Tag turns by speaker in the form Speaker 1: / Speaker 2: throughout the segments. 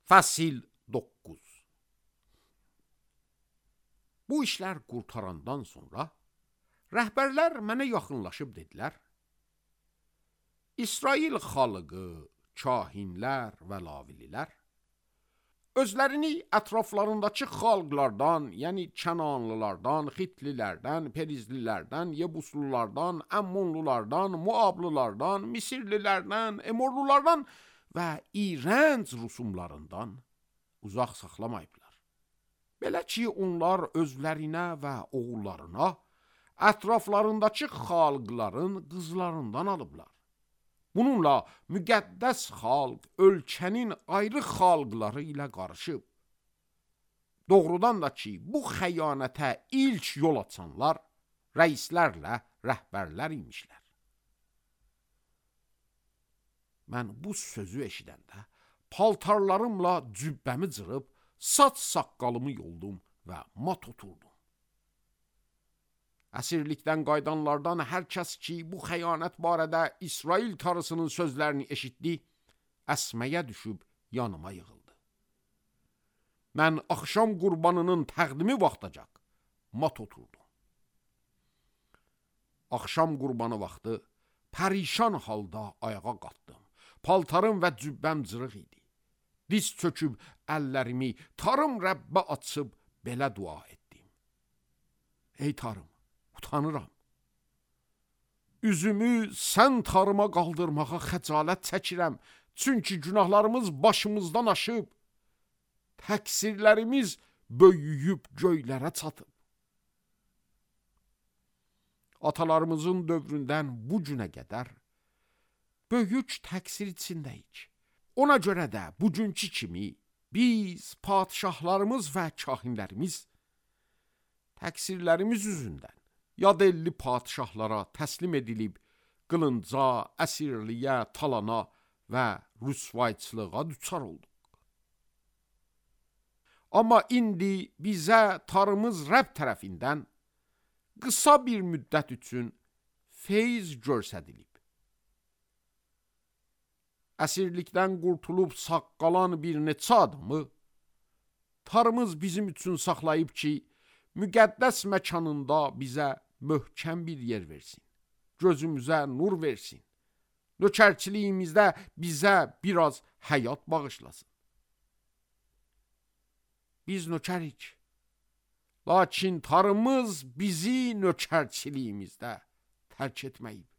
Speaker 1: Fəsil 9. Bu işlər qurtarandan sonra rəhbərlər mənə yaxınlaşıb dedilər: İsrail xalqı, kahinlər və lavililər özlərini ətraflarındakı xalqlardan, yəni Kənanlılardan, Xitlilərdən, Perizlilərdən, Yebuslulardan, Əmmonlulardan, Muablılardan, Misirlilərdən, Emorlulardan və iğrənc rusumlarından uzaq saxlamayıblar. Belə ki, onlar özlərinə və oğullarına ətraflarındakı xalqların qızlarından alıblar. Bununla müqəddəs xalq ölkənin ayrı xalqları ilə qarışıb. Doğrudan da ki, bu xəyanətə ilk yol açanlar rəislərlə rəhbərlər imişlər. Mən bu sözü eşidəndə paltarlarımla cübbəmi cırıb, saç saqqalımı yoldum və mat oturdum. Əsirlikdən qaydanlardan hər kəs ki, bu xəyanət barədə İsrail tarısının sözlərini eşitdi, əsməyə düşüb yanıma yığıldı. Mən axşam qurbanının təqdimi vaxtacaq mat oturdum. Axşam qurbanı vaxtı pərişan halda ayağa qalxdım. Paltarım və cübbəm cırıq idi. Diz çöküb əllərimi tarım Rəbbə açıb belə dua etdim: Ey tarım, utanıram. Üzümü sən tarıma qaldırmağa xəcalət çəkirəm, çünki günahlarımız başımızdan aşıb, təqsirlərimiz böyüyüb göylərə çatıb. Atalarımızın dövründən bu günə qədər böyük təqsir içindəyik. Ona görə də bugünkü kimi biz, padişahlarımız və kahinlərimiz təqsirlərimiz üzündən yad elli padişahlara təslim edilib, qılınca, əsirliyə, talana və rüsvayçılığa düçar olduq. Amma indi bizə tarımız Rəbb tərəfindən qısa bir müddət üçün feyz göstərilib. Əsirlikdən qurtulub sağ qalan bir neçə adamı tarımız bizim üçün saxlayıb ki, müqəddəs məkanında bizə möhkəm bir yer versin, gözümüzə nur versin, nökərçiliyimizdə bizə biraz həyat bağışlasın. Biz nökərik, lakin tarımız bizi nökərçiliyimizdə tərk etməyib.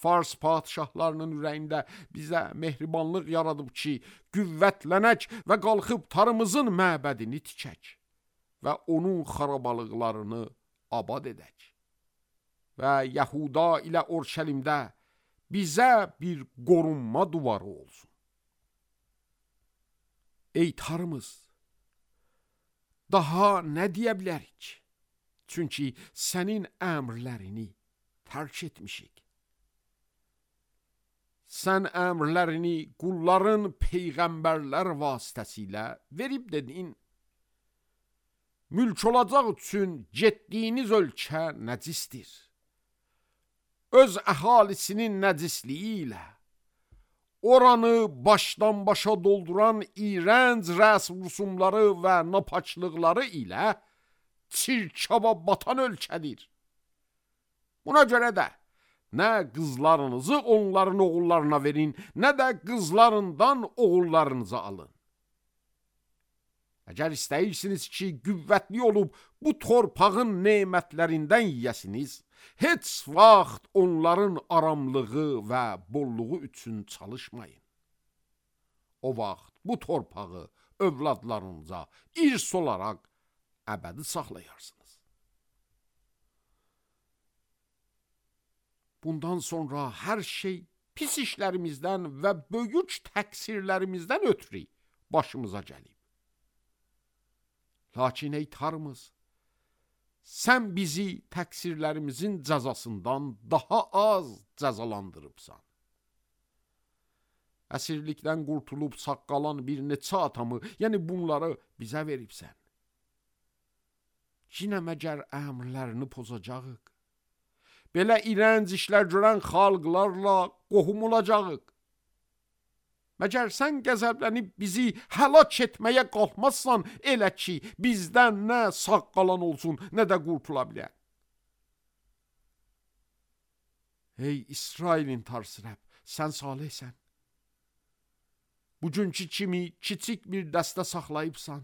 Speaker 1: Fars padişahlarının ürəyində bizə mehribanlıq yaradıb ki, qüvvətlənək və qalxıb tarımızın məbədini tikək və onun xarabalıqlarını abad edək. Və Yahuda ilə Orşəlimdə bizə bir qorunma duvarı olsun. Ey tarımız, daha nə deyə bilərik? Çünki sənin əmrlərini tərk etmişik. Sən əmrlərini qulların peyğəmbərlər vasitəsilə verib dedin: Mülk olacaq üçün getdiyiniz ölkə nəcisdir. Öz əhalisinin nəcisliyi ilə, oranı başdan başa dolduran iğrənc rəsm rusumları və napaçlıqları ilə çirkaba batan ölkədir. Buna görə də nə qızlarınızı onların oğullarına verin, nə də qızlarından oğullarınızı alın. Əgər istəyirsiniz ki, qüvvətli olub bu torpağın nemətlərindən yiyəsiniz, heç vaxt onların aramlığı və bolluğu üçün çalışmayın. O vaxt bu torpağı övladlarınıza irs olaraq əbədi saxlayarsınız. Bundan sonra hər şey pis işlərimizdən və böyük təqsirlərimizdən ötürü başımıza gəlib. Lakin ey tarımız, sən bizi təqsirlərimizin cəzasından daha az cəzalandırıbsan. Əsirlikdən qurtulub sağ qalan bir neçə atamı, yəni bunları bizə veribsən. Yenə məgər əmrlərini pozacağıq? Belə iğrənc işlər görən xalqlarla qohum olacağıq. Məgər sən qəzəblənib bizi həlak etməyə qalxmazsan, elə ki, bizdən nə sağ qalan olsun, nə də qurtula bilər. Ey İsrailin Tarsı Rəbb, sən salihsən. Bugünkü kimi kiçik bir dəstə saxlayıbsan.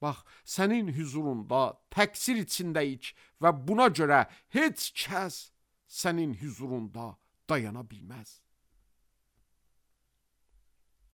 Speaker 1: Bax, sənin huzurunda təqsir içindəyik və buna görə heç kəs sənin huzurunda dayana bilməz.